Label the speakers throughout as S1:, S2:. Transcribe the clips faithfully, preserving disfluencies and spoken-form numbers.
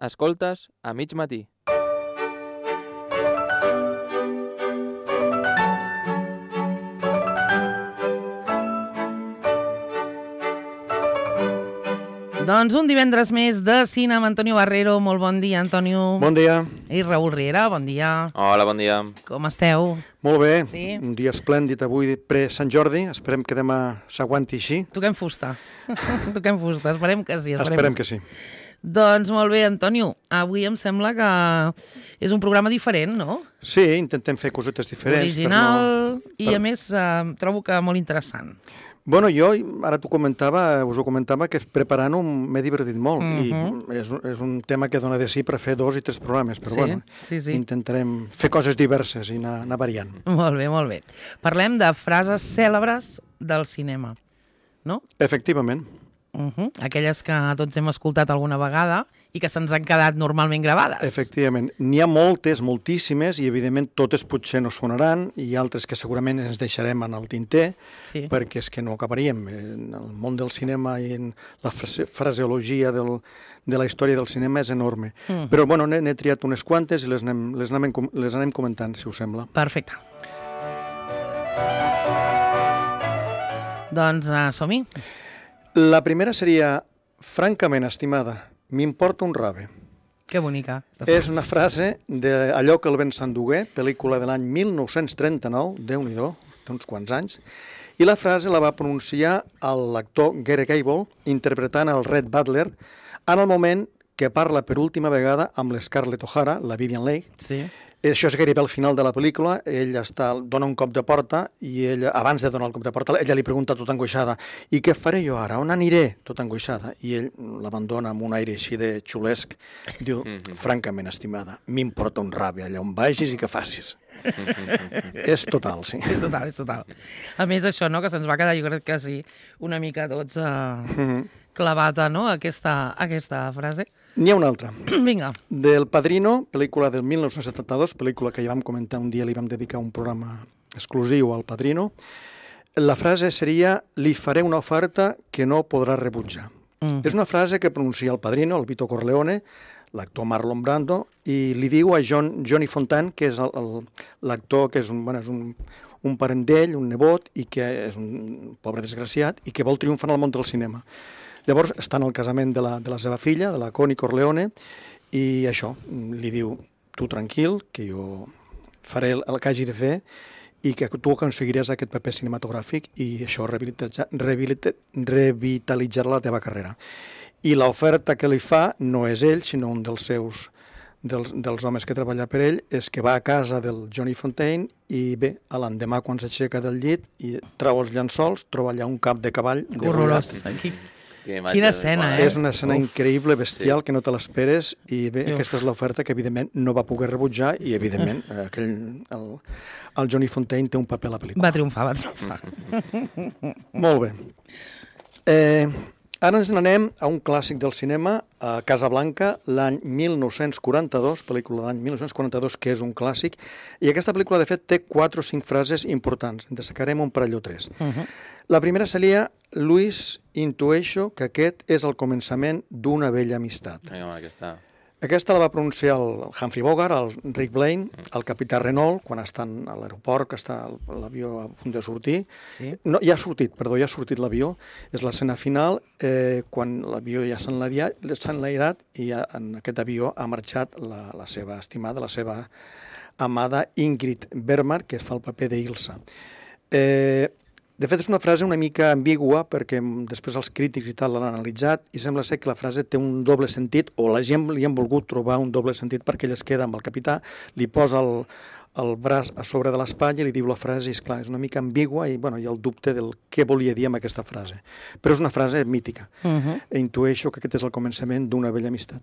S1: Escoltes a mig matí.
S2: Doncs un divendres més de cine amb Antonio Barrero. Molt bon dia, Antonio.
S3: Bon dia.
S2: I Raül Riera, bon dia.
S1: Hola, bon dia.
S2: Com esteu?
S3: Molt bé,
S2: Sí?
S3: un dia esplèndid avui pre-Sant Jordi, esperem que demà s'aguanti així.
S2: Toquem fusta. Toquem fusta, esperem que sí.
S3: Esperem que sí.
S2: Doncs molt bé, Antonio, avui em sembla que és un programa diferent, no?
S3: Sí, intentem fer cosetes diferents.
S2: Original
S3: no...
S2: i, a més, eh, trobo que molt interessant.
S3: Bueno, jo, ara t'ho comentava, us ho comentava, que preparant-ho m'he divertit molt.
S2: Mhm.
S3: I és, un- és un tema que dona de sí per fer dos i tres programes, però
S2: Sí,
S3: bueno,
S2: sí, sí.
S3: intentarem fer coses diverses i anar, anar variant.
S2: Molt bé, molt bé. Parlem de frases cèlebres del cinema, no?
S3: Efectivament.
S2: Uh -huh. Aquelles que tots hem escoltat alguna vegada i que se'ns han quedat normalment gravades.
S3: Efectivament. N'hi ha moltes, moltíssimes, i evidentment totes potser no sonaran, i altres que segurament ens deixarem en el tinter,
S2: Sí.
S3: perquè és que no acabaríem. En el món del cinema i en la frase fraseologia del, de la història del cinema és enorme.
S2: Mm.
S3: Però bueno, n'he n'he triat unes quantes i les anem, les, anem, com- les anem comentant, si us sembla.
S2: Perfecte. Doncs uh, som-hi.
S3: La primera seria, francament, estimada, m'importa un rave.
S2: Que bonica.
S3: És una frase d'Allò que el vent s'endugué, pel·lícula de l'any mil nou-cents trenta-nou, Déu-n'hi-do, té uns quants anys, i la frase la va pronunciar l'actor Gary Gable, interpretant el Red Butler, en el moment que parla per última vegada amb l'Scarlett O'Hara, la Vivien Leigh.
S2: Sí.
S3: Això és gairebé al final de la pel·lícula, ell està, dona un cop de porta i ella, abans de donar el cop de porta, ella li pregunta tota angoixada, i què faré jo ara, on aniré? Tota angoixada. I ell l'abandona amb un aire així de xulesc, diu, francament, estimada, m'importa un rave allà on vagis i que facis. És total, sí.
S2: És total, és total. A més, això, no?, que se'ns va quedar, jo crec que sí, una mica tots uh, clavada, no?, aquesta, aquesta frase.
S3: N'hi ha una altra.
S2: Vinga.
S3: Del Padrino, pel·lícula del mil nou-cents setanta-dos, pel·lícula que ja vam comentar un dia, li vam dedicar un programa exclusiu al Padrino. La frase seria, li faré una oferta que no podrà rebutjar.
S2: Mm.
S3: És una frase que pronuncia el Padrino, el Vito Corleone, l'actor Marlon Brando, i li diu a John, Johnny Fontaine, que és el- el- l'actor que és un, bueno, és un, un parent d'ell, un nebot, i que és un pobre desgraciat, i que vol triomfar en el món del cinema. Llavors està en el casament de la, de la seva filla, de la Connie Corleone, i això, li diu, tu tranquil, que jo faré el, el que hagi de fer i que tu aconseguiràs aquest paper cinematogràfic i això rehabilitza- rehabilita- revitalitzarà la teva carrera. I l'oferta que li fa no és ell, sinó un dels seus dels, dels homes que treballa per ell, és que va a casa del Johnny Fontaine i bé, a l'endemà quan s'aixeca del llit i treu els llençols, troba allà un cap de cavall
S2: Que horrorós.
S3: degollat.
S2: Aquí.
S1: Que imatge
S2: Quina
S1: de-
S2: escena,
S1: Bueno,
S2: eh?
S3: És una escena
S2: Uf.
S3: increïble, bestial, que no te l'esperes, i bé,
S2: Uf.
S3: aquesta és l'oferta que evidentment no va poder rebutjar i evidentment aquell, el, el Johnny Fontaine té un paper a la pel·lícula.
S2: Va triomfar, va triomfar.
S3: Molt bé. Eh, ara ens n'anem a un clàssic del cinema, a Casablanca, l'any mil nou-cents quaranta-dos, pel·lícula de l'any mil nou-cents quaranta-dos, que és un clàssic, i aquesta pel·lícula, de fet, té quatre o cinc frases importants. En destacarem un parell o tres.
S2: Uh -huh.
S3: La primera seria, Luis, intueixo que aquest és el començament d'una vella amistat.
S1: Vinga, home, aquesta...
S3: Aquesta la va pronunciar el Humphrey Bogart, el Rick Blaine, el capità Renault, quan estan a l'aeroport, que està l'avió a punt de sortir.
S2: Sí.
S3: No, ja ha sortit, perdó, ja ha sortit l'avió. És l'escena final, eh, quan l'avió ja s'ha enlairat, s'ha enlairat i ja en aquest avió ha marxat la, la seva estimada, la seva amada Ingrid Bergman, que fa el paper d'Ilsa. Eh, de fet, és una frase una mica ambigua perquè després els crítics i tal l'han analitzat i sembla ser que la frase té un doble sentit o la gent li han volgut trobar un doble sentit perquè ella es queda amb el capità, li posa el, el braç a sobre de l'espatlla i li diu la frase i, esclar, és una mica ambigua i bueno, hi ha el dubte del què volia dir amb aquesta frase. Però és una frase mítica.
S2: Uh -huh.
S3: E intueixo que aquest és el començament d'una vella amistat.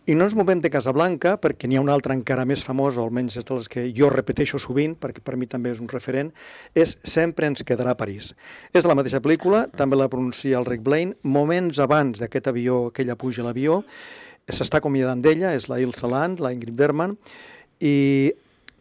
S3: I no ens movem de Casablanca, perquè n'hi ha una altra encara més famosa, o almenys és de les que jo repeteixo sovint, perquè per mi també és un referent, és Sempre ens quedarà a París. És de la mateixa pel·lícula, també la pronuncia el Rick Blaine, moments abans d'aquest avió, que ella puja a l'avió, s'està acomiadant d'ella, és la Ilsa Land, la Ingrid Bergman, i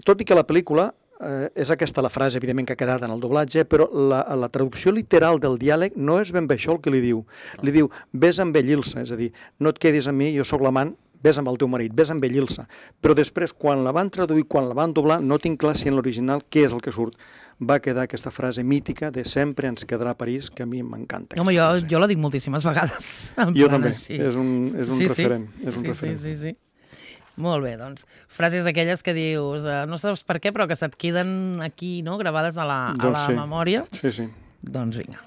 S3: tot i que la pel·lícula eh, és aquesta la frase, evidentment, que ha quedat en el doblatge, però la, la traducció literal del diàleg no és ben bé això el que li diu. Li diu, vés amb ell, Ilsa, és a dir, no et quedis amb mi, jo sóc l'amant, vés amb el teu marit, vés amb ell, Ilsa. Però després, quan la van traduir, quan la van doblar, no tinc clar si en l'original què és el que surt. Va quedar aquesta frase mítica de sempre ens quedarà a París, que a mi m'encanta.
S2: Home, jo, jo la dic moltíssimes vegades.
S3: Jo també, és un, és un
S2: sí,
S3: referent.
S2: Sí.
S3: És un
S2: sí,
S3: referent.
S2: sí, sí, sí. Molt bé, doncs, frases d'aquelles que dius, eh, no saps per què, però que se't queden aquí, no?, gravades a la, a
S3: Doncs
S2: la
S3: sí.
S2: memòria.
S3: Sí, sí.
S2: Doncs vinga.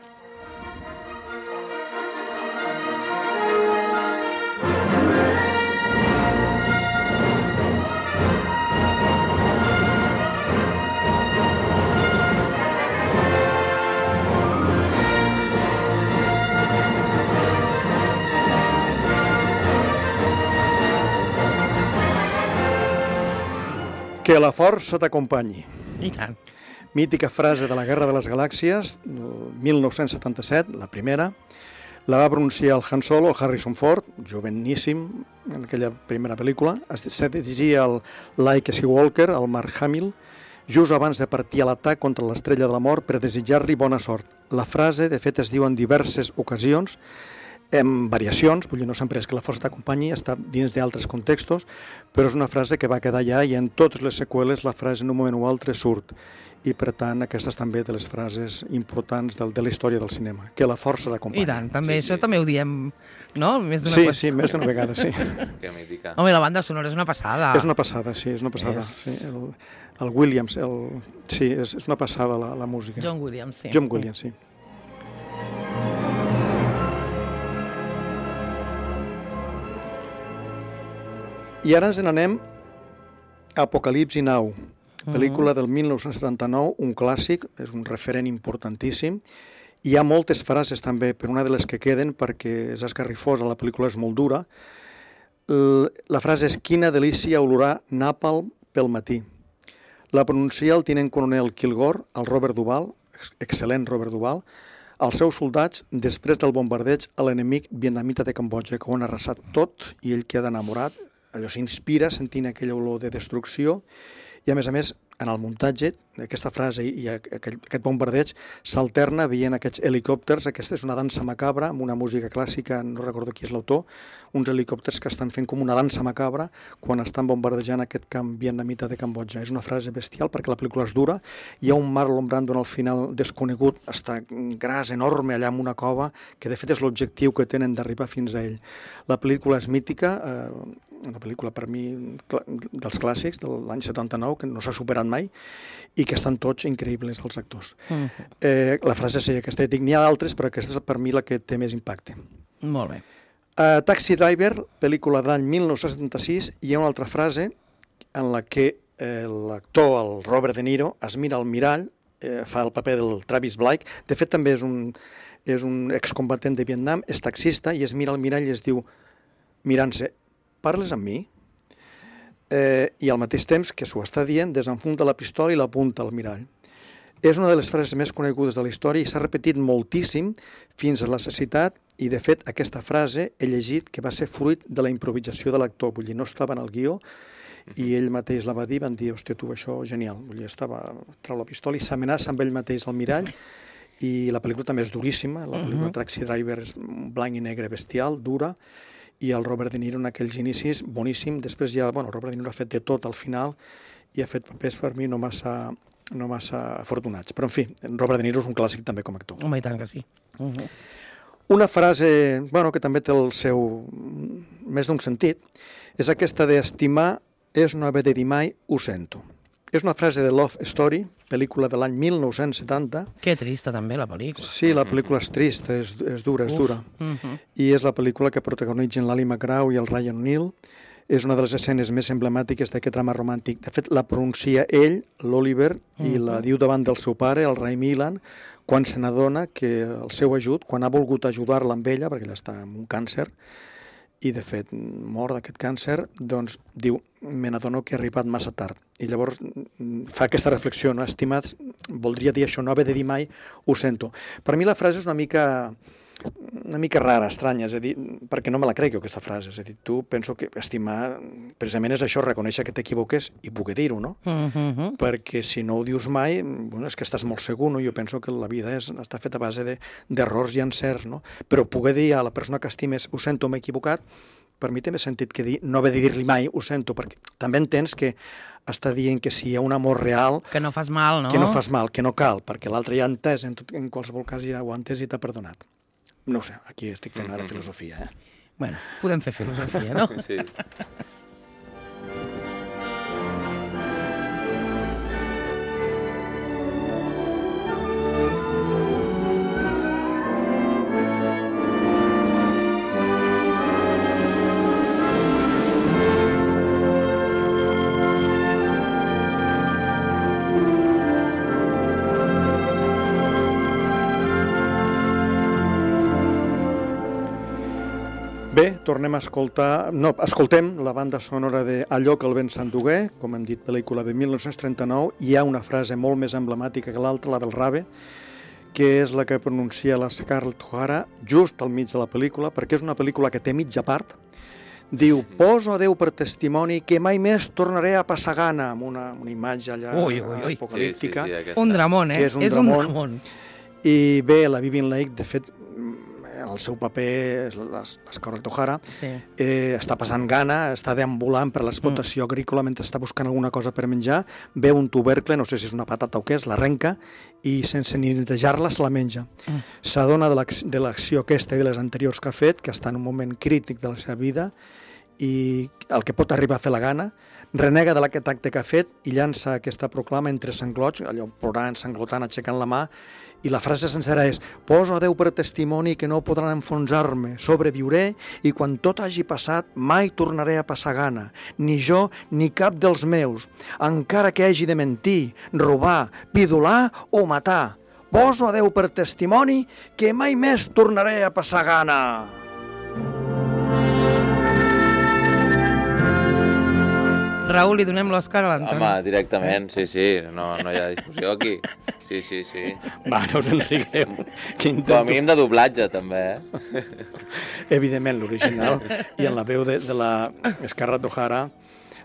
S3: Que la força t'acompanyi.
S2: I tant.
S3: Mítica frase de la Guerra de les Galàxies, mil nou-cents setanta-set, la primera. La va pronunciar el Han Solo, el Harrison Ford, joveníssim, en aquella primera pel·lícula. Es dirigia el Luke Skywalker, el Mark Hamill, just abans de partir a l'atac contra l'estrella de la mort per desitjar-li bona sort. La frase, de fet, es diu en diverses ocasions, en variacions, vull dir, no sempre és que la força t'acompanyi, està dins d'altres contextos, però és una frase que va quedar allà i en totes les seqüeles la frase en un moment o altre surt. I, per tant, aquesta és també de les frases importants del, de la història del cinema, que la força t'acompanyi.
S2: I tant, també,
S1: Sí,
S2: això
S1: sí.
S2: també ho diem, no? Més d'una
S3: Sí,
S2: qüestió.
S3: sí, més d'una vegada, sí.
S1: Que mítica.
S2: Home, i la banda sonora és una passada.
S3: És una passada, sí, és una passada.
S2: És-
S3: Sí, el, el Williams, el, sí, és, és una passada la, la música.
S2: John Williams, sí.
S3: John Williams, sí. I ara ens n'anem a Apocalipsi Now, pel·lícula del mil nou-cents setanta-nou, un clàssic, és un referent importantíssim. Hi ha moltes frases també, però una de les que queden, perquè és esgarrifosa, la pel·lícula és molt dura. L- La frase és quina delícia olorar nàpalm pel matí. La pronuncia el tinent coronel Kilgore, el Robert Duvall, ex- excel·lent Robert Duvall, als seus soldats després del bombardeig a l'enemic vietnamita de Cambodja, que ho han arrasat tot i ell queda enamorat, allò s'inspira sentint aquella olor de destrucció i a més a més en el muntatge aquesta frase i aquell, aquest bombardeig s'alterna veient aquests helicòpters, aquesta és una dansa macabra amb una música clàssica, no recordo qui és l'autor, uns helicòpters que estan fent com una dansa macabra quan estan bombardejant aquest camp vietnamita de Cambodja. És una frase bestial perquè la pel·lícula és dura, hi ha un Marlon Brando al final desconegut, està gras, enorme allà en una cova, que de fet és l'objectiu que tenen d'arribar fins a ell. La pel·lícula és mítica, eh, una pel·lícula per mi cl- dels clàssics de l'any setanta-nou, que no s'ha superat mai, i que estan tots increïbles els actors.
S2: Mm.
S3: Eh, la frase seria aquesta, dic, n'hi ha d'altres, però aquesta és per mi la que té més impacte.
S2: Molt bé.
S3: A Taxi Driver, pel·lícula de l'any mil nou-cents setanta-sis, hi ha una altra frase en la que eh, l'actor, el Robert De Niro, es mira al mirall, eh, fa el paper del Travis Blake, de fet també és un, és un excombatent de Vietnam, és taxista i es mira al mirall i es diu, mirant-se, parles amb mi? Eh, I al mateix temps que s'ho està dient, desenfunda la pistola i l'apunta al mirall. És una de les frases més conegudes de la història i s'ha repetit moltíssim fins a la necessitat i, de fet, aquesta frase he llegit que va ser fruit de la improvisació de l'actor, vull dir, no estava en el guió i ell mateix la va dir, van dir, hòstia, tu, això genial, vull dir, estava, trau la pistola i s'amenaça amb ell mateix al mirall i la pel·lícula també és duríssima, la pel·lícula Taxi Driver és blanc i negre bestial, dura, i el Robert De Niro en aquells inicis, boníssim, després ja, bueno, el Robert De Niro ha fet de tot al final i ha fet papers per mi no massa, no massa afortunats, però en fi, Robert De Niro és un clàssic també com a actor.
S2: Home, i tant que sí. Uh -huh.
S3: Una frase, bueno, que també té el seu més d'un sentit, és aquesta d'estimar és no haver de dir mai ho sento. És una frase de Love Story, pel·lícula de l'any mil nou-cents setanta.
S2: Que trista també la pel·lícula.
S3: Sí, la pel·lícula és trista, és, és dura, és
S2: Uf.
S3: dura.
S2: Uh -huh.
S3: I és la pel·lícula que protagonitzen l'Ali McGraw i el Ryan O'Neill. És una de les escenes més emblemàtiques d'aquest drama romàntic. De fet, la pronuncia ell, l'Oliver, i la diu davant del seu pare, el Ray Milland, quan se n'adona que el seu ajut, quan ha volgut ajudar-la amb ella, perquè ella està amb un càncer, i de fet mor d'aquest càncer, doncs diu, me n'adono que he arribat massa tard. I llavors fa aquesta reflexió, no? Estimats, voldria dir això, no haver de dir mai, ho sento. Per mi la frase és una mica una mica rara, estranya, és a dir, perquè no me la crec jo, aquesta frase, és a dir, tu penso que estimar, precisament és això, reconèixer que t'equivoques i poder dir-ho, no?
S2: Uh -huh.
S3: Perquè si no ho dius mai, bueno, és que estàs molt segur, no? Jo penso que la vida és, està feta a base d'errors de, i encerts, no? Però poder dir a la persona que estimes, ho sento, m'he equivocat, per mi té més sentit que dir, no haver de dir-li mai, ho sento, perquè també entens que està dient que si hi ha un amor real...
S2: Que no fas mal, no?
S3: Que no fas mal, que no cal, perquè l'altre ja ha entès, en, tot, en qualsevol cas ja ho ha entès i t'ha perdonat. No ho sé, aquí estic fent ara filosofia, eh?
S2: Bueno, podem fer filosofia, no?
S1: Sí.
S3: Bé, tornem a escoltar... No, escoltem la banda sonora de Allò que el vent s'endugué, com hem dit, pel·lícula de mil nou-cents trenta-nou. Hi ha una frase molt més emblemàtica que l'altra, la del rave, que és la que pronuncia la Scarlett O'Hara just al mig de la pel·lícula, perquè és una pel·lícula que té mitja part. Diu, poso a Déu per testimoni que mai més tornaré a passar gana, amb una, una imatge allà
S2: ui, ui, ui.
S3: apocalíptica.
S1: Sí, sí, sí, aquesta.
S2: Un dramón, eh?
S3: Que és un
S2: és
S3: dramón.
S2: un dramón.
S3: I bé, la Vivien Leigh, de fet, el seu paper, l'Scarlett O'Hara,
S2: Sí.
S3: eh, està passant gana, està deambulant per l'explotació
S2: Mm.
S3: agrícola mentre està buscant alguna cosa per menjar, veu un tubercle, no sé si és una patata o què és, l'arrenca i sense ni netejar-la se la menja.
S2: Mm.
S3: S'adona de l'ac- de l'acció aquesta i de les anteriors que ha fet, que està en un moment crític de la seva vida i el que pot arribar a fer la gana, renega de aquest acte que ha fet i llança aquesta proclama entre sanglots, allò plorant, sanglotant, aixecant la mà, i la frase sencera és: poso a Déu per testimoni que no podran enfonsar-me, sobreviuré i quan tot hagi passat mai tornaré a passar gana, ni jo ni cap dels meus, encara que hagi de mentir, robar, pidolar o matar. Poso a Déu per testimoni que mai més tornaré a passar gana.
S2: Raül, li donem l'Òscar a l'Antoni.
S1: Home, directament, sí, sí, no, no hi ha discussió aquí. Sí, sí, sí.
S3: Va, no us enrigueu. Que
S1: Com a
S3: intento...
S1: mínim de doblatge, també, eh?
S3: Evidentment, l'original, i en la veu de, de la Scarlett O'Hara,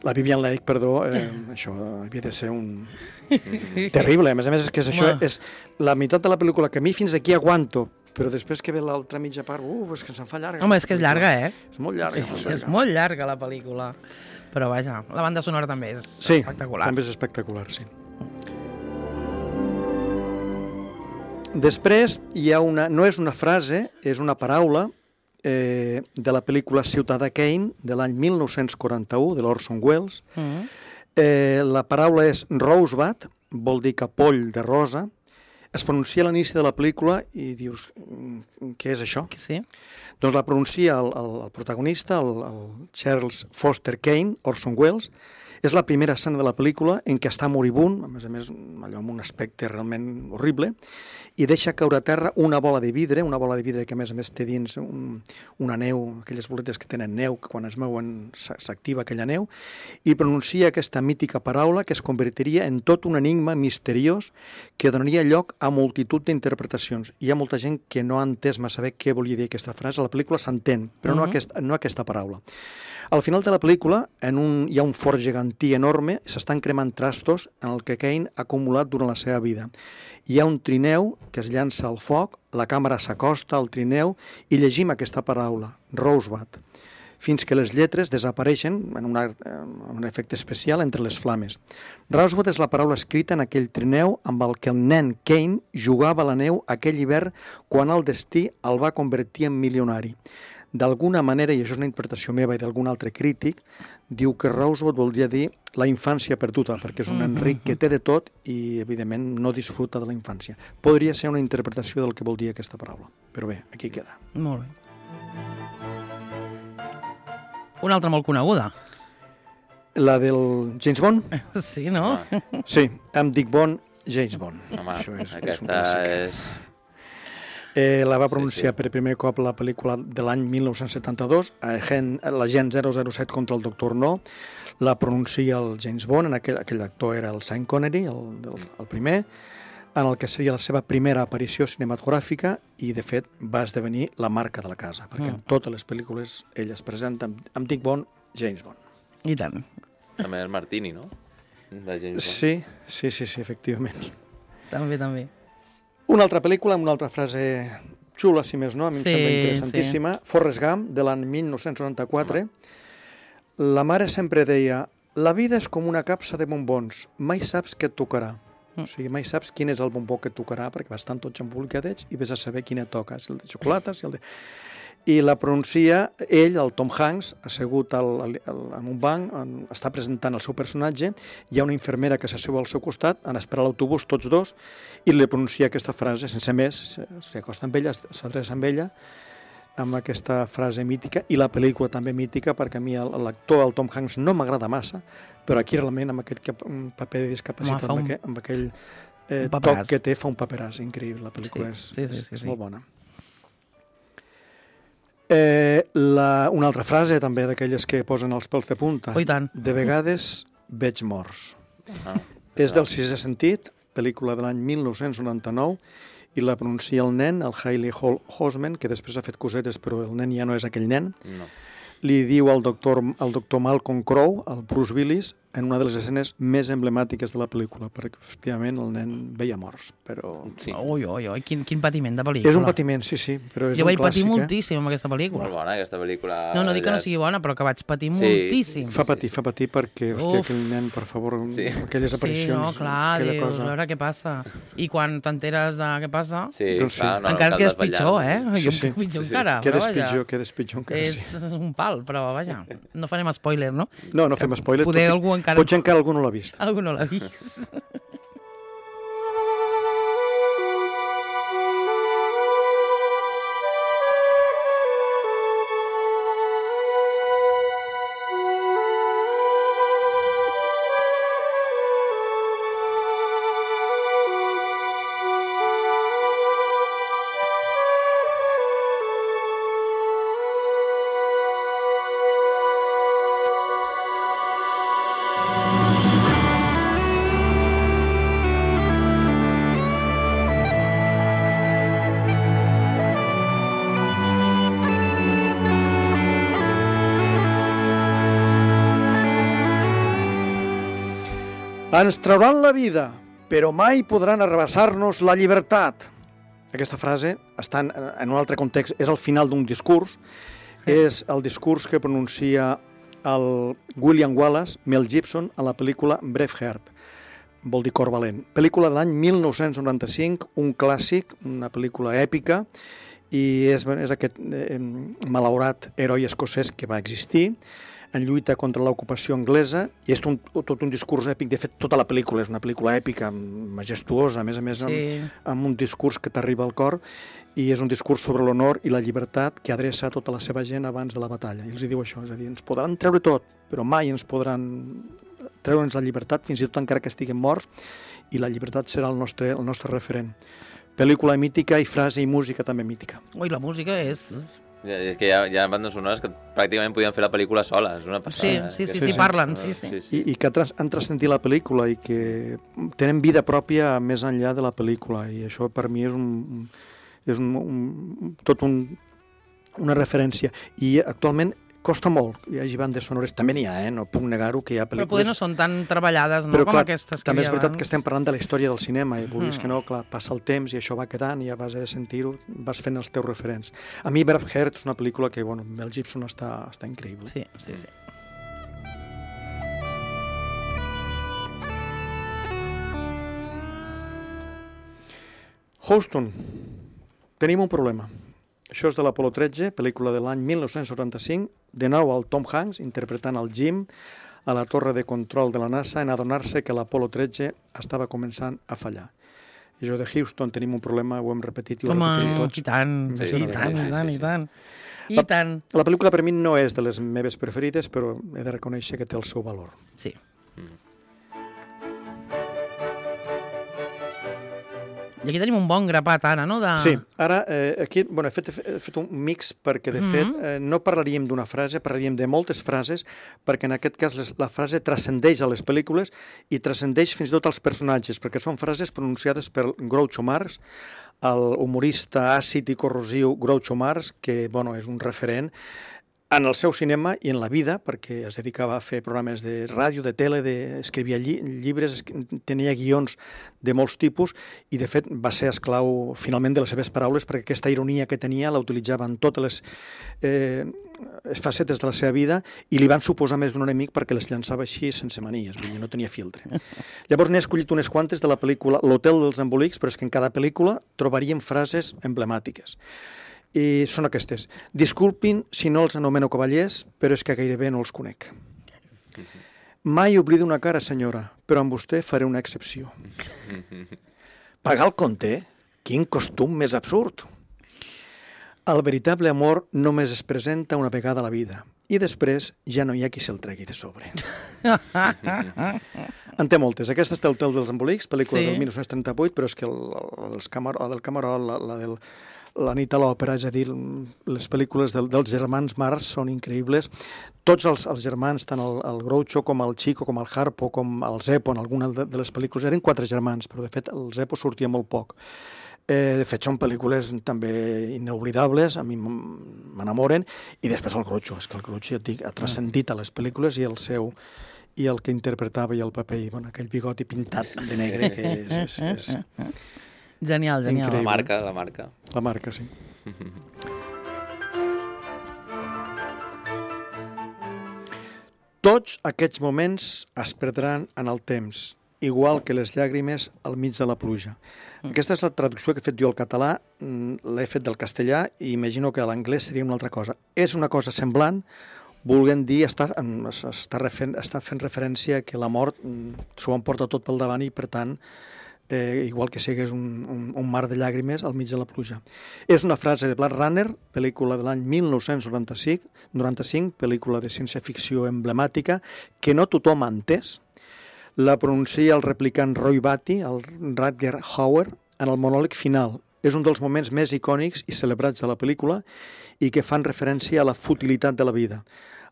S3: la Vivien Leigh, perdó, eh, això havia de ser un... terrible. A més a més, és que és això
S2: Home.
S3: és la meitat de la pel·lícula que a mi fins aquí aguanto, però després que ve l'altra mitja part, uf, és que se'n fa llarga.
S2: Home, és que és llarga, eh?
S3: És molt llarga.
S2: Sí,
S3: molt
S2: és
S3: llarga.
S2: molt llarga la pel·lícula. Però vaja, la banda sonora també és
S3: Sí,
S2: espectacular.
S3: també és espectacular, sí. Després hi ha una... No és una frase, és una paraula eh, de la pel·lícula Ciutadà Kane, de l'any mil nou-cents quaranta-u, de l'Orson Welles.
S2: Mm.
S3: Eh, la paraula és rosebud, vol dir capoll de rosa. Es pronuncia a l'inici de la pel·lícula i dius, "Mm, què és això?"
S2: Sí?
S3: Doncs la pronuncia el, el, el protagonista, el, el Charles Foster Kane, Orson Welles. És la primera escena de la pel·lícula en què està moribund, a més a més allò amb un aspecte realment horrible, i deixa caure a terra una bola de vidre, una bola de vidre que a més a més té dins un, una neu, aquelles boletes que tenen neu, que quan es mouen s'a- s'activa aquella neu, i pronuncia aquesta mítica paraula que es convertiria en tot un enigma misteriós que donaria lloc a multitud d'interpretacions. Hi ha molta gent que no ha entès massa bé què volia dir aquesta frase. A la pel·lícula s'entén, però no,
S2: Mhm.
S3: aquesta, no aquesta paraula. Al final de la pel·lícula en un, hi ha un fort gegantí enorme, s'estan cremant trastos en el que Kane ha acumulat durant la seva vida. Hi ha un trineu que es llança al foc, la càmera s'acosta al trineu i llegim aquesta paraula, Rosebud, fins que les lletres desapareixen en, una, en un efecte especial entre les flames. Rosebud és la paraula escrita en aquell trineu amb el que el nen Kane jugava a la neu aquell hivern quan el destí el va convertir en milionari. D'alguna manera, i això és una interpretació meva i d'algun altre crític, diu que Rosebud voldria dir la infància perduda, perquè és un
S2: Mhm.
S3: Enric que té de tot i, evidentment, no disfruta de la infància. Podria ser una interpretació del que vol dir aquesta paraula. Però bé, aquí queda.
S2: Molt bé. Una altra molt coneguda.
S3: La del James Bond?
S2: Sí, no?
S1: Home,
S3: Sí, amb Dick Bond, James Bond.
S1: home
S3: Això és, és un
S1: aquesta
S3: clàssic.
S1: és...
S3: Eh, la va
S1: Sí,
S3: pronunciar
S1: sí.
S3: per primer cop la pel·lícula de l'any mil nou-cents setanta-dos, Agent- l'agent zero zero set contra el doctor No, la pronuncia el James Bond, en aquell, aquell actor era el Sean Connery, el, el, el primer, en el que seria la seva primera aparició cinematogràfica i, de fet, va esdevenir la marca de la casa, perquè
S2: Mm.
S3: en totes les pel·lícules ell es presenta amb, amb Dick Bond, James Bond.
S2: I tant.
S1: També és Martini, no? De James Bond.
S3: Sí, sí, sí, sí, efectivament.
S2: També, també.
S3: Una altra pel·lícula amb una altra frase xula, si més no, a mi em
S2: Sí,
S3: sembla interessantíssima. Forrest Gump, de l'any mil nou-cents noranta-quatre. La mare sempre deia: la vida és com una capsa de bombons, mai saps què et tocarà. O sigui, mai saps quin és el bombó que et tocarà, perquè estan tots embolcadets i vés a saber quin et toca, si el de xocolata, si el de... I la pronuncia ell, el Tom Hanks, assegut al, al, en un banc, en, està presentant el seu personatge, hi ha una infermera que s'asseu al seu costat, en esperar l'autobús, tots dos, i li pronuncia aquesta frase, sense més, s'acosta amb ella, s'adreça amb ella, amb aquesta frase mítica, i la pel·lícula també mítica, perquè a mi l'actor, el Tom Hanks, no m'agrada massa, però aquí realment amb aquest paper de discapacitat,
S2: Home, un...
S3: amb aquell, amb aquell eh,
S2: un
S3: toc que té, fa un paperàs increïble, la pel·lícula
S2: sí,
S3: és,
S2: sí, sí,
S3: és,
S2: sí,
S3: és
S2: sí.
S3: molt bona. Eh, la, una altra frase també d'aquelles que posen els pèls de punta.
S2: Oh, i tant.
S3: De vegades veig morts.
S1: Ah,
S3: És del Sisè sentit, pel·lícula de l'any mil nou-cents noranta-nou, i la pronuncia el nen, el Hailey Hall Osment, que després ha fet cosetes, però el nen ja no és aquell nen.
S1: no.
S3: Li diu al doctor, al doctor Malcolm Crowe, al Bruce Willis, en una de les escenes més emblemàtiques de la pel·lícula, perquè efectivament el nen veia morts, però...
S1: Sí.
S2: Ui, ui, ui, quin, quin patiment de pel·lícula.
S3: És un patiment, sí, sí, però és
S2: Jo
S3: un
S2: vaig patir
S3: clàssic, eh?
S2: moltíssim amb aquesta pel·lícula.
S1: Molt bona, aquesta pel·lícula.
S2: No, no dic que no
S1: Ja és-
S2: sigui bona, però que vaig patir
S1: Sí,
S2: moltíssim.
S1: sí,
S3: Fa patir, fa patir perquè, hòstia,
S2: Uf.
S3: aquell nen, per favor,
S1: Sí.
S3: aquelles
S2: Sí,
S3: aparicions,
S2: no, clar,
S3: aquella
S2: dius,
S3: cosa...
S2: a veure què passa. I quan t'enteres de què passa,
S1: Sí,
S3: Doncs sí.
S1: clar, no,
S2: encara
S1: cal
S2: quedes
S1: desvetllar.
S2: pitjor, eh?
S3: Sí,
S2: Jo
S3: sí.
S2: pitjor
S1: Sí, sí.
S2: encara, però
S3: Quedes
S2: vaja.
S3: pitjor, quedes pitjor encara,
S2: És
S3: sí.
S2: un pal, però vaja, no farem spoiler, no?
S3: No, no fem spoiler.
S2: Poder
S3: tot i-
S2: algú encara-
S3: Potser encara algú no l'ha vist.
S2: Algú no l'ha vist.
S3: Ens trauran la vida, però mai podran arrabassar-nos la llibertat. Aquesta frase està en, en un altre context, és el final d'un discurs, és el discurs que pronuncia el William Wallace, Mel Gibson, a la pel·lícula Braveheart, vol dir Cor valent. Pel·lícula de l'any mil nou-cents noranta-cinc, un clàssic, una pel·lícula èpica, i és, és aquest eh, malaurat heroi escocès que va existir, en lluita contra l'ocupació anglesa, i és un, tot un discurs èpic. De fet, tota la pel·lícula és una pel·lícula èpica, majestuosa, a més a més, amb,
S2: Sí.
S3: amb un discurs que t'arriba al cor, i és un discurs sobre l'honor i la llibertat que adreça a tota la seva gent abans de la batalla. I els hi diu això, és a dir, ens podran treure tot, però mai ens podran treure'ns la llibertat, fins i tot encara que estiguem morts, i la llibertat serà el nostre, el nostre referent. Pel·lícula mítica i frase i música també mítica.
S2: Ui, la música és...
S1: Ja, és que hi ha, hi ha bandes sonores que pràcticament podien fer la pel·lícula sola, és una
S2: Sí,
S1: passada.
S2: sí,
S1: eh?
S2: sí,
S3: sí,
S2: sí,
S3: sí.
S2: parlen, sí, sí.
S1: sí.
S3: I, i que tras, han transcendit la pel·lícula i que tenen vida pròpia més enllà de la pel·lícula, i això per mi és un, és un, un tot un, una referència. I actualment costa molt que hi hagi bandes sonores, també n'hi ha, eh? No puc negar-ho, que hi ha
S2: Però
S3: pel·lícules...
S2: poder no són tan treballades, no?
S3: Però,
S2: Com
S3: clar,
S2: aquestes que
S3: també
S2: hi
S3: és
S2: ha
S3: veritat que
S2: abans.
S3: estem parlant de la història del cinema, i vulguis
S2: Mhm.
S3: que no, clar, passa el temps i això va quedant, i a base de sentir-ho vas fent els teus referents. A mi Braveheart és una pel·lícula que, bueno, Mel Gibson està, està increïble.
S2: Sí, sí, sí.
S3: Houston, tenim un problema. Això és de l'Apolo tretze, pel·lícula de l'any mil nou-cents noranta-cinc, de nou el Tom Hanks interpretant el Jim a la torre de control de la NASA en adonar-se que l'Apolo tretze estava començant a fallar. I això de Houston tenim un problema, ho hem repetit i ho
S2: Home,
S3: repetim tots.
S2: i tant,
S3: Sí,
S2: i
S3: sí,
S2: tant,
S1: sí,
S2: i tant,
S1: sí,
S2: i
S1: sí.
S2: tant. I
S3: La-
S2: tant.
S3: La pel·lícula per mi no és de les meves preferides, però he de reconèixer que té el seu valor.
S2: Sí. I aquí tenim un bon grapat, Anna, no? De...
S3: Sí, ara eh, aquí bueno, he, fet, he fet un mix perquè, de
S2: Mhm.
S3: fet, eh, no parlaríem d'una frase, parlaríem de moltes frases, perquè en aquest cas les, la frase transcendeix a les pel·lícules i transcendeix fins i tot als personatges, perquè són frases pronunciades per Groucho Marx, el humorista àcid i corrosiu Groucho Marx, que bueno, és un referent. en el seu cinema i en la vida, perquè es dedicava a fer programes de ràdio, de tele, de... escrivia lli llibres, tenia guions de molts tipus i, de fet, va ser esclau finalment de les seves paraules perquè aquesta ironia que tenia la utilitzava en totes les eh, facetes de la seva vida i li van suposar més d'un enemic perquè les llançava així sense manies, vull dir, no tenia filtre. Llavors n'he escollit unes quantes de la pel·lícula L'Hotel dels Embolics, però és que en cada pel·lícula trobaríem frases emblemàtiques. I són aquestes. Disculpin si no els anomeno cavallers, però és que gairebé no els conec. Mai oblido una cara, senyora, però amb vostè faré una excepció. Pagar el compte? Quin costum més absurd! El veritable amor només es presenta una vegada a la vida i després ja no hi ha qui se'l tregui de sobre. En té moltes. Aquesta és el Hotel dels Embolics, pel·lícula sí. del dinou trenta-vuit, però és que el, el, el Camar el del Camarol, la, la del La nit a l'òpera, és a dir, les pel·lícules del, dels germans Marx són increïbles. Tots els, els germans, tant el, el Groucho com el Chico, com el Harpo, com el Zeppo, en alguna de, de les pel·lícules, eren quatre germans, però de fet el Zeppo sortia molt poc. Eh, de fet, són pel·lícules també inoblidables, a mi m'enamoren, i després el Groucho, és que el Groucho, ja et dic, ha transcendit a les pel·lícules i el seu i el que interpretava i el paper, i bueno, aquell bigoti pintat de negre, que és... és, és...
S2: Genial, genial.
S1: Increïble. La marca, la marca.
S3: La marca, sí. Tots aquests moments es perdran en el temps, igual que les llàgrimes al mig de la pluja. Aquesta és la traducció que he fet jo al català, l'he fet del castellà i imagino que a l'anglès seria una altra cosa. És una cosa semblant, volent dir, està, està, refer, està fent referència que la mort s'ho emporta tot pel davant i, per tant, Eh, igual que sigués un, un, un mar de llàgrimes al mig de la pluja. És una frase de Blade Runner, pel·lícula de l'any mil nou-cents noranta-cinc, noranta-cinc, pel·lícula de ciència-ficció emblemàtica, que no tothom ha entès. La pronuncia el replicant Roy Batty, el Rutger Hauer, en el monòleg final. És un dels moments més icònics i celebrats de la pel·lícula i que fan referència a la futilitat de la vida.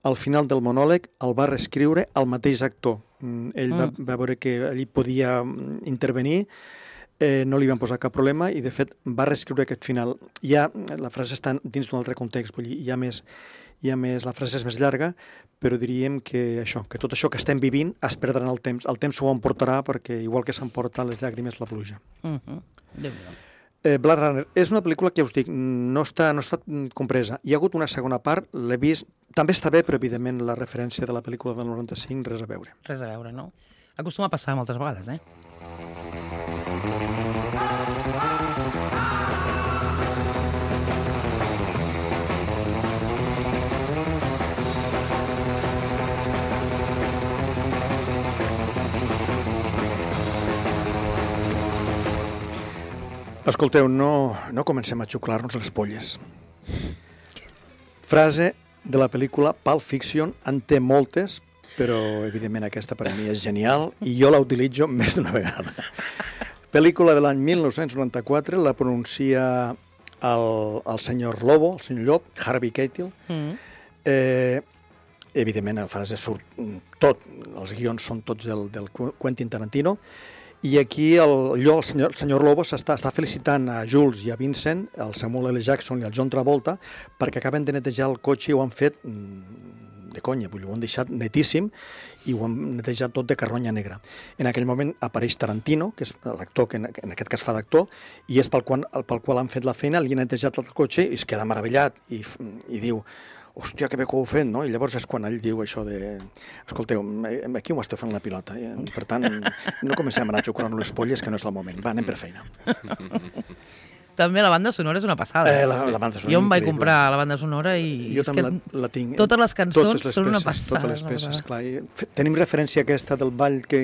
S3: Al final del monòleg el va reescriure el mateix actor. Ell va, va veure que allí podia intervenir, eh, no li van posar cap problema i, de fet, va reescriure aquest final. Ja, la frase està dins d'un altre context, vull dir, hi ha més, hi ha més, la frase és més llarga, però diríem que això, que tot això que estem vivint es perdrà en el temps. El temps s'ho emportarà perquè, igual que s'emporta les llàgrimes, la pluja.
S2: Uh-huh. Déu-n'hi-do.
S3: Eh, Blade Runner és una pel·lícula que, us dic, no està, no està compresa. Hi ha hagut una segona part, l'he vist, també està bé, però evidentment la referència de la pel·lícula del noranta-cinc, res a veure.
S2: Res a veure, no? Acostuma a passar moltes vegades, eh?
S3: Escolteu, no, no comencem a xuclar-nos les polles. Frase de la pel·lícula Pulp Fiction, en té moltes, però evidentment aquesta per a mi és genial i jo la utilitzo més d'una vegada. Pel·lícula de l'any mil nou-cents noranta-quatre, la pronuncia el, el senyor Lobo, el senyor Llop, Harvey Keitel. Mm. Eh, evidentment la frase surt tot, els guions són tots del, del Quentin Tarantino. I aquí el, allò, el, senyor, el senyor Lobo està, està felicitant a Jules i a Vincent, el Samuel L. Jackson i el John Travolta, perquè acaben de netejar el cotxe i ho han fet de conya, vull dir, ho han deixat netíssim i ho han netejat tot de carronya negra. En aquell moment apareix Tarantino, que és l'actor que en, en aquest cas fa d'actor, i és pel qual, pel qual han fet la feina, li han netejat el cotxe i es queda meravellat i, i diu: hòstia, que bé que ho heu fet, no? I llavors és quan ell diu això de... Escolteu, aquí ho esteu fent la pilota. Eh? Per tant, no comencem a anar xucrant les polles, que no és el moment. Va, anem per feina.
S2: També la banda sonora és una passada.
S3: Eh, la, la banda sonora
S2: jo em vaig
S3: increïble.
S2: comprar la banda sonora i...
S3: Jo també la, la tinc.
S2: Totes les cançons
S3: totes les
S2: són
S3: peces,
S2: una passada.
S3: Totes les peces, clar. I tenim referència aquesta del ball que...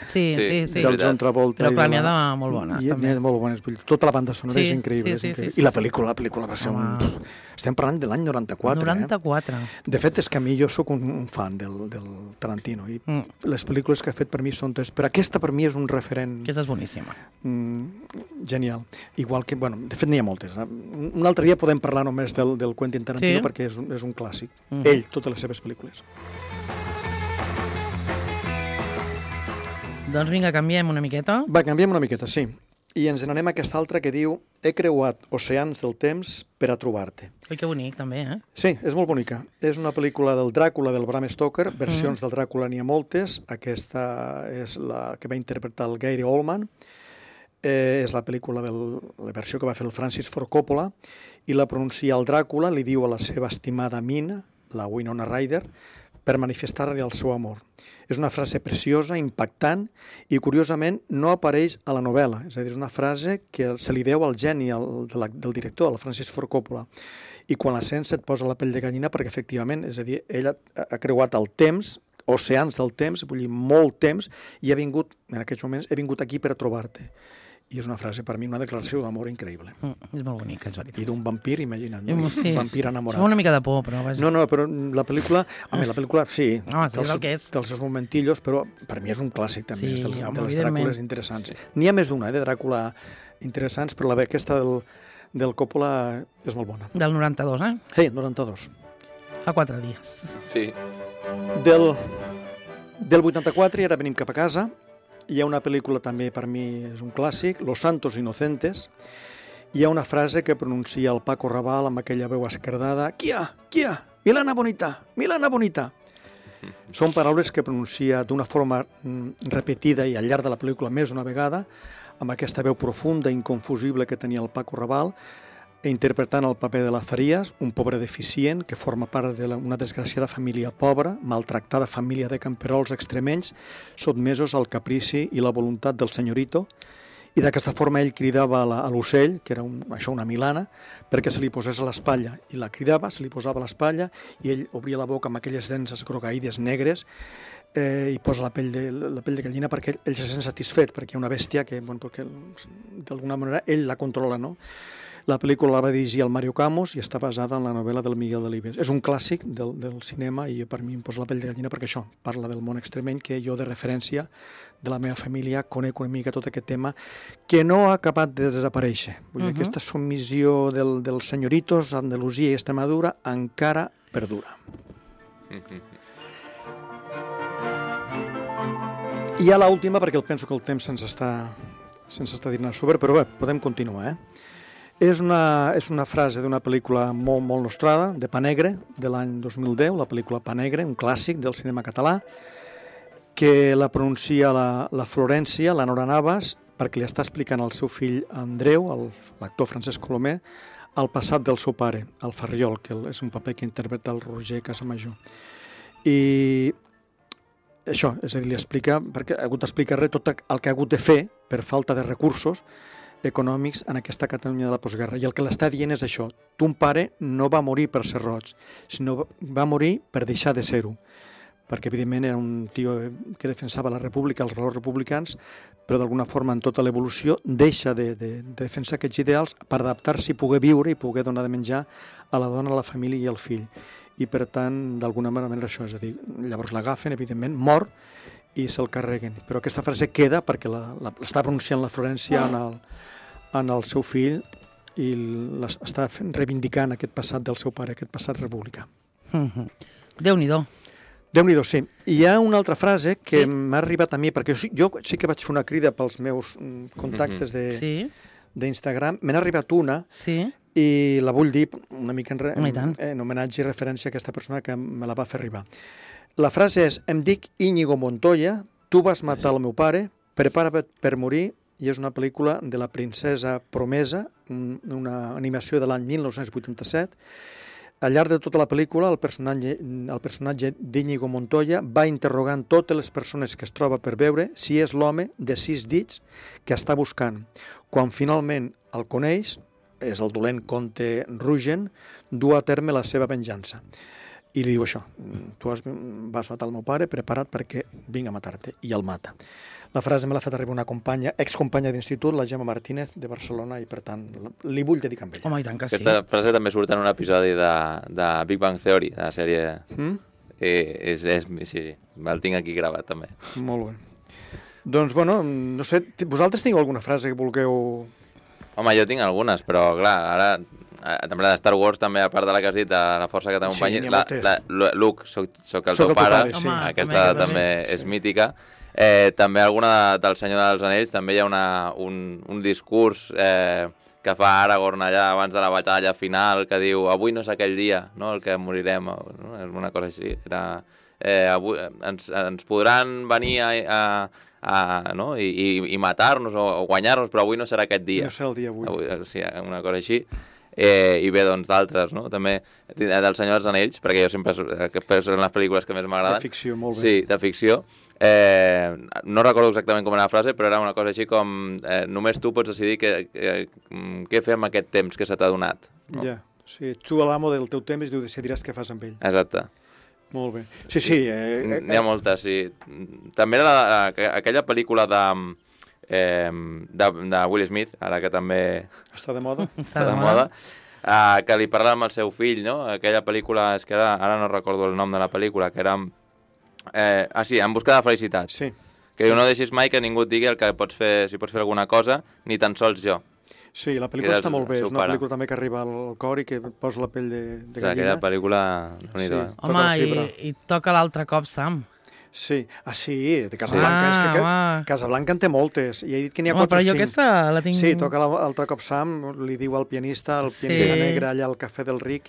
S2: Sí, sí, sí.
S3: Del John Travolta.
S2: Però clar, n'hi ha de molt bones,
S3: I,
S2: també.
S3: N'hi ha de molt bones. Tota la banda sonora
S2: sí,
S3: és increïble.
S2: Sí, sí,
S3: és increïble.
S2: Sí, sí,
S3: I la
S2: sí,
S3: pel·lícula, la pel·lícula va ser
S2: Home.
S3: un... Estem parlant de l'any noranta-quatre.
S2: noranta-quatre.
S3: Eh? De fet, és que a mi jo sóc un, un fan del, del Tarantino i mm. les pel·lícules que ha fet per mi són totes... Però aquesta per mi és un referent...
S2: Aquesta és boníssima.
S3: Mm, genial. Igual que... Bueno, de fet, n'hi ha moltes. Un altre dia podem parlar només del, del Quentin Tarantino, sí? Perquè és un, és un clàssic. Mm. Ell, totes les seves pel·lícules.
S2: Doncs vinga, canviem una miqueta.
S3: Va, canviem una miqueta, sí. I ens n'anem a aquesta altra que diu he creuat oceans del temps per a trobar-te.
S2: Ui, que bonic, també, eh?
S3: Sí, és molt bonica. És una pel·lícula del Dràcula del Bram Stoker, versions mm. del Dràcula n'hi ha moltes, aquesta és la que va interpretar el Gary Oldman, eh, és la pel·lícula, del, la versió que va fer el Francis Ford Coppola, i la pronuncia el Dràcula, li diu a la seva estimada Mina, la Winona Ryder, per manifestar-li el seu amor. És una frase preciosa, impactant, i curiosament no apareix a la novel·la. És a dir, és una frase que se li deu al geni el, de la, del director, el Francis Ford Coppola. I quan la sents et posa la pell de gallina perquè, efectivament, és a dir, ell ha, ha creuat el temps, oceans del temps, vull dir, molt temps, i ha vingut, en aquests moments, he vingut aquí per a trobar-te. I és una frase, per mi, una declaració d'amor increïble.
S2: Mm, és molt bonica, és veritat.
S3: I d'un vampir, imagina't, no?
S2: Sí.
S3: Un vampir enamorat.
S2: Fa una mica de por, però... Vaja.
S3: No, no, però la pel·lícula... A mi, la pel·lícula, sí,
S2: no,
S3: té els,
S2: que és.
S3: té els seus momentillos, però per mi és un clàssic, també,
S2: sí,
S3: és de,
S2: home,
S3: de les Dràcules interessants.
S1: Sí.
S3: N'hi ha més d'una, eh, de Dràcula interessants, però la aquesta del, del Coppola és molt bona.
S2: Del noranta-dos, eh?
S3: Sí, noranta-dos.
S2: Fa quatre dies.
S1: Sí.
S3: Del, del vuitanta-quatre, i ara venim cap a casa, hi ha una pel·lícula també, per mi, és un clàssic, Los Santos Inocentes. Hi ha una frase que pronuncia el Paco Raval amb aquella veu esquerdada, «Quia, quia, Milana bonita, Milana bonita». Són paraules que pronuncia d'una forma repetida i al llarg de la pel·lícula més d'una vegada, amb aquesta veu profunda i inconfusible que tenia el Paco Raval, interpretant el paper de Lazarías, un pobre deficient que forma part d'una desgraciada família pobra, maltractada família de camperols extremenys, sotmesos al caprici i la voluntat del senyorito, i d'aquesta forma ell cridava a l'ocell, que era un, això una milana, perquè se li posés a l'espatlla, i la cridava, se li posava a l'espatlla, i ell obria la boca amb aquelles dents esgrogaïdes negres, eh, i posa la pell, de, la pell de gallina perquè ell, ell se sent satisfet, perquè hi ha una bèstia que, bueno, perquè d'alguna manera ell la controla, no? La pel·lícula la va dirigir el Mario Camus i està basada en la novel·la del Miguel Delibes. És un clàssic del, del cinema i per mi em posa la pell de gallina perquè això parla del món extremeny que jo de referència de la meva família conec una mica tot aquest tema que no ha acabat de desaparèixer. Vull dir, uh-huh. Aquesta submissió del, dels senyoritos a Andalusia i Extremadura encara perdura. Uh-huh. I ja l'última, perquè penso que el temps se'ns està, se'ns està dinant sobre, però bé, podem continuar, eh? És una, és una frase d'una pel·lícula molt, molt nostrada, de Pa Negre, de l'any dos mil deu, la pel·lícula Pa Negre, un clàssic del cinema català, que la pronuncia la, la Florència, la Nora Navas, perquè li està explicant al seu fill Andreu, l'actor Francesc Colomer, el passat del seu pare, el Ferriol, que és un paper que interpreta el Roger Casamajor. I això, és a dir, li explica, perquè ha hagut d'explicar tot el que ha hagut de fer per falta de recursos econòmics en aquesta Catalunya de la postguerra. I el que l'està dient és això. Ton pare no va morir per ser roig, sinó va morir per deixar de ser-ho. Perquè, evidentment, era un tio que defensava la república, els valors republicans, però d'alguna forma, en tota l'evolució, deixa de, de, de defensar aquests ideals per adaptar-s'hi i poder viure i poder donar de menjar a la dona, a la família i al fill. I, per tant, d'alguna manera, això és a dir, llavors l'agafen, evidentment, mor, i se'l carreguen. Però aquesta frase queda perquè l'està pronunciant la Florència en el, en el seu fill i està reivindicant aquest passat del seu pare, aquest passat republicà.
S2: Mm-hmm. Déu-n'hi-do.
S3: Déu-n'hi-do, sí. I hi ha una altra frase que sí? m'ha arribat a mi, perquè jo, jo sí que vaig fer una crida pels meus contactes d'Instagram. Sí? Me n'ha arribat una
S2: sí?
S3: i la vull dir una mica en, re,
S2: en,
S3: en homenatge i referència a aquesta persona que me la va fer arribar. La frase és, em dic Íñigo Montoya, tu vas matar el meu pare, prepara't per morir, i és una pel·lícula de la princesa Promesa, una animació de l'any mil nou-cents vuitanta-set. Al llarg de tota la pel·lícula, el personatge, el personatge d'Íñigo Montoya va interrogant totes les persones que es troba per veure si és l'home de sis dits que està buscant. Quan finalment el coneix, és el dolent comte Rugen, du a terme la seva venjança. I li diu això, tu has, vas matar el meu pare, prepara't perquè vinc a matar-te, i el mata. La frase me l'ha fet arribar una companya, excompanya d'institut, la Gemma Martínez, de Barcelona, i per tant li vull dedicar amb ella.
S2: Home, i tant que sí.
S1: Aquesta frase també surt en un episodi de, de Big Bang Theory, de la sèrie... Mm? Eh, és, és, sí, el tinc aquí gravat també.
S3: Molt bé. Doncs, bueno, no sé, vosaltres teniu alguna frase que vulgueu...
S1: Home, jo tinc algunes, però clar, ara... També la de Star Wars, també, a part de la que has dit, de la força que t'acompanyi. Sí, la, la, Luke, soc, soc el soc teu el pare, pare sí. Home, aquesta també, també és sí. mítica. Eh, també alguna de, del Senyor dels Anells, també hi ha una, un, un discurs eh, que fa Aragorn allà abans de la batalla final, que diu avui no és aquell dia, no?, el que morirem, no? És una cosa així. Era, eh, avui, ens, ens podran venir a, a, a, no? I, i, i matar-nos o, o guanyar-nos, però avui no serà aquest dia.
S3: No serà el dia avui.
S1: avui sí, una cosa així. Eh, I bé, doncs, d'altres, no? També del Senyor dels Anells, perquè jo sempre són les pel·lícules que més m'agraden.
S3: De ficció, molt bé.
S1: Sí, de ficció. Eh, no recordo exactament com era la frase, però era una cosa així com eh, només tu pots decidir què, què, què fer amb aquest temps que se t'ha donat. No?
S3: Ja, sí, tu a l'amo del teu temps i tu decidiràs què fas amb ell.
S1: Exacte.
S3: Molt bé. Sí, sí. Eh, eh,
S1: N'hi ha moltes, sí. També era la, aquella pel·lícula de, eh, de, de Will Smith, ara que també
S3: està de moda,
S1: està de moda, eh, que li parla amb el seu fill, no? Aquella pel·lícula, és que ara, ara no recordo el nom de la pel·lícula, que era... Eh, ah, sí, En busca de felicitat.
S3: Sí.
S1: Que sí. No deixis mai que ningú et digui el que pots fer, si pots fer alguna cosa, ni tan sols jo.
S3: Sí, la pel·lícula està molt bé. És una pare. pel·lícula també que arriba al cor i que posa la pell de, de gallina.
S1: Aquella pel·lícula...
S3: Sí,
S1: eh?
S2: Home, i, i toca l'altre cop, Sam.
S3: Sí, ah sí, de Casablanca. Ah, és que, que Casablanca en té moltes. I he dit que n'hi ha quatre o cinc.
S2: Però jo aquesta la tinc...
S3: Sí, toca l'altre cop Sam, li diu al pianista, el pianista sí. negre allà al Cafè del Ric,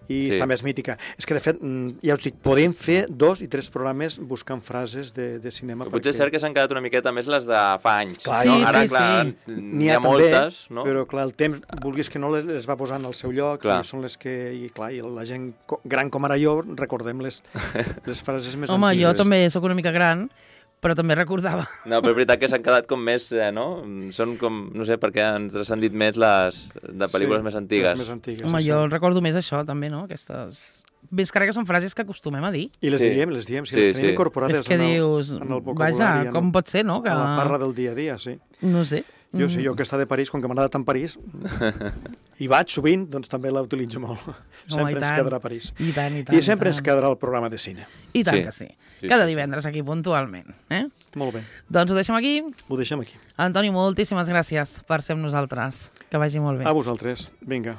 S3: i sí. també és mítica. És que, de fet, ja us dic, podem fer dos i tres programes buscant frases de, de cinema.
S1: Però potser perquè... és cert que s'han quedat una miqueta més les de fa anys.
S3: Clar,
S1: no?
S2: sí,
S1: Ara,
S2: sí,
S1: clar,
S2: sí.
S1: n'hi ha, ha moltes, no?
S3: Però, clar, el temps, vulguis que no, les va posant al seu lloc, clar. I són les que, i clar, i la gent gran com ara jo, recordem les, les frases més
S2: Home,
S3: antigues.
S2: Home, jo també sóc una mica gran, però també recordava.
S1: No, però és veritat que s'han quedat com més, eh, no? Són com, no sé, perquè ens han dit més les de pel·lícules
S3: sí,
S1: més antigues.
S3: més antigues.
S2: Home, jo recordo més això, també, no? Aquestes... Ves que ara que són frases que acostumem a dir.
S3: I les sí. diem, les diem, si sí, les tenim sí. incorporades
S2: és que
S3: en el,
S2: dius,
S3: en el vocabulari.
S2: Vaja, com pot ser, no? Que...
S3: A la parla del dia a dia, sí.
S2: No sé.
S3: Jo sé, jo que està de París, com que m'agrada tant París, i vaig sovint, doncs també la utilitzo molt. Sempre
S2: oh,
S3: ens quedarà a París.
S2: I tant, i tant.
S3: I sempre
S2: i tant.
S3: ens quedarà el programa de cine.
S2: I tant
S1: sí.
S2: que sí.
S1: sí
S2: Cada
S1: sí,
S2: divendres aquí, puntualment. Eh?
S3: Molt bé.
S2: Doncs ho deixem aquí.
S3: Ho deixem aquí.
S2: Antoni, moltíssimes gràcies per ser amb nosaltres. Que vagi molt bé.
S3: A vosaltres. Vinga.